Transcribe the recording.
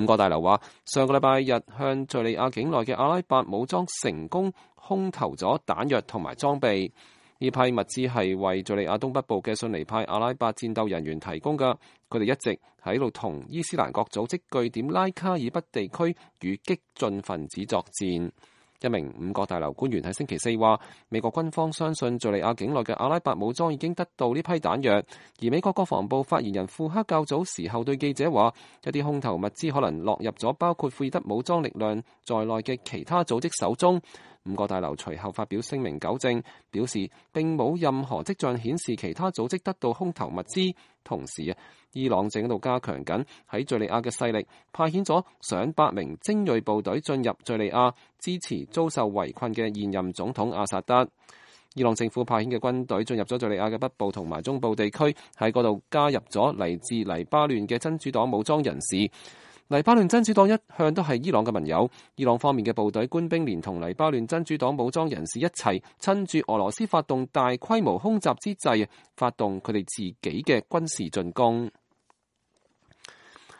五角大樓話，上個禮拜日向敘利亞境內嘅阿拉伯武裝成功空投咗彈藥同埋裝備。呢批物資係為敘利亞東北部嘅遜尼派阿拉伯戰鬥人員提供㗎，佢哋一直喺度同伊斯蘭國組織據點拉卡爾北地區與激進分子作戰。一名五角大樓官員喺星期四話，美國軍方相信敘利亞境內嘅阿拉伯武裝已經得到呢批彈藥，而美國國防部發言人庫克較早時候對記者話，一啲空投物資可能落入咗包括庫爾德武裝力量在內嘅其他組織手中。五角大樓隨後發表聲明糾正，表示並冇任何跡象顯示其他組織得到空投物資。同時伊朗正喺度加強緊喺敘利亞嘅勢力，派遣咗上百名精銳部隊進入敘利亞，支持遭受圍困嘅現任總統阿薩德。伊朗政府派遣嘅軍隊進入咗敘利亞嘅北部同埋中部地區，喺嗰度加入咗嚟自黎巴嫩嘅真主黨武裝人士。黎巴嫩真主黨一向都係伊朗嘅盟友，伊朗方面嘅部隊官兵連同黎巴嫩真主黨武裝人士一齊，趁住俄羅斯發動大規模空襲之際，發動佢哋自己嘅軍事進攻。